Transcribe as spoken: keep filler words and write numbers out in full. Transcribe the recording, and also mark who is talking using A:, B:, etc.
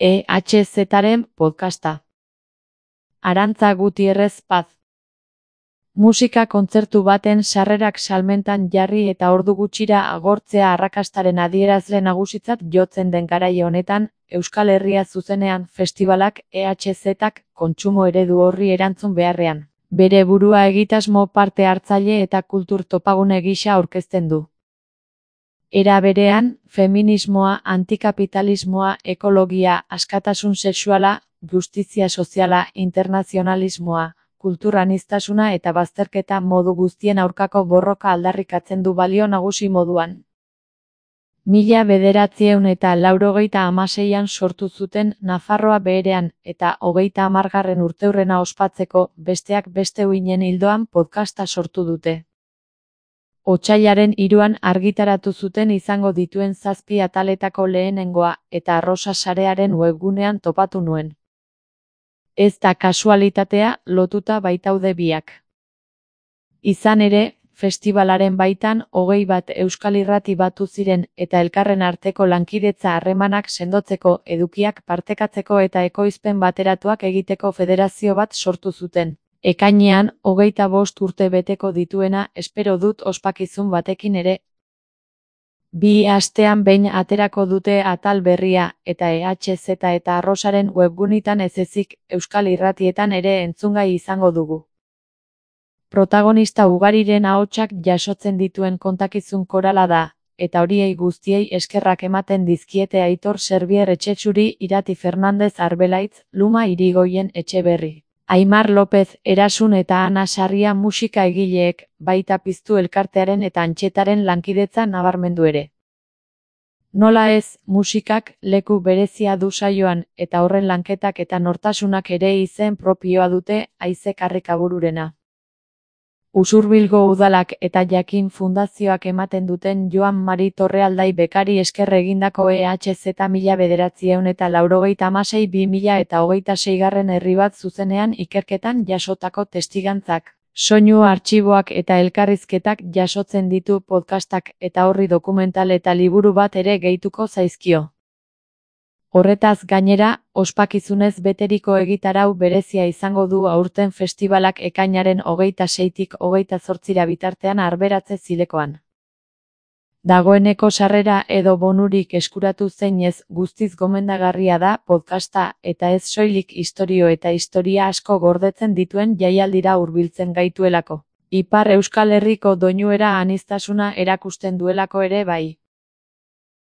A: E H Zaren podcasta. Arantza Gutierrez Paz. Musika kontzertu baten sarrerak salmentan jarri eta ordu gutxira agortzea arrakastaren adierazle nagusitzat jotzen den garai honetan, Euskal Herria zuzenean festibalak E H Zak kontsumo eredu horri erantzun beharrean, bere burua egitasmo parte hartzaile eta kultur topagune gisa aurkezten du. Era berean, feminismoa, antikapitalismoa, ekologia, askatasun sexuala, justizia soziala, internazionalismoa, kulturaniztasuna eta bazterketa modu guztien aurkako borroka aldarrikatzen du balio nagusi moduan. Mila bederatziehun eta laurogeita hamaseian sortu zuten Nafarroa Beherean eta hogeita hamargarren urteurrena ospatzeko besteak beste uinen ildoan podcasta sortu dute. Otsailaren hiruan argitaratu zuten izango dituen zazpi ataletako lehenengoa eta Arrosa sarearen webgunean topatu nuen. Ez da kasualitatea, lotuta baitaude biak. Izan ere, festibalaren baitan hogei bat euskal irrati batu ziren eta elkarren arteko lankidetza harremanak sendotzeko, edukiak partekatzeko eta ekoizpen bateratuak egiteko federazio bat sortu zuten. Ekainean, hogeita bost urte beteko dituena, espero dut ospakizun batekin ere. Bi astean behin aterako dute atal berria, eta E H Z eta Arrosaren webgunitan ez ezik, euskal irratietan ere entzungai izango dugu. Protagonista ugariren ahotsak jasotzen dituen kontakizun korala da, eta horiei guztiei eskerrak ematen dizkiete Aitor Serbier Etxetxuri, Irati Fernandez Arbelaitz, Luma Irigoyen Etxeberri, Aimar López Erasun eta Ana Sarria musika egileek, baita Piztu elkartearen eta Antxetaren lankidetza nabarmendu ere. Nola ez, musikak leku berezia du saioan, eta horren lanketak eta nortasunak ere izen propioa dute, Haize Karrikabururena. Usurbilgo udalak eta Jakin Fundazioak ematen duten Joan Mari Torrealdai bekari esker egindako E H Z mila bederatziehun eta laurogeita hamasei bi mila eta hogeita seigarren herri bat zuzenean ikerketan jasotako testigantzak, soinu artxiboak eta elkarrizketak jasotzen ditu podcastak eta horri dokumental eta liburu bat ere gehituko zaizkio. Horretaz gainera, ospakizunez beteriko egitarau berezia izango du aurten festibalak ekainaren hogeita seitik hogeita zortzira bitartean Arberatze Zilekoan. Dagoeneko sarrera edo bonurik eskuratu zeinez guztiz gomendagarria da podcasta eta ez soilik istorio eta historia asko gordetzen dituen jaialdira hurbiltzen gaituelako. Ipar Euskal Herriko doinuera aniztasuna erakusten duelako ere bai.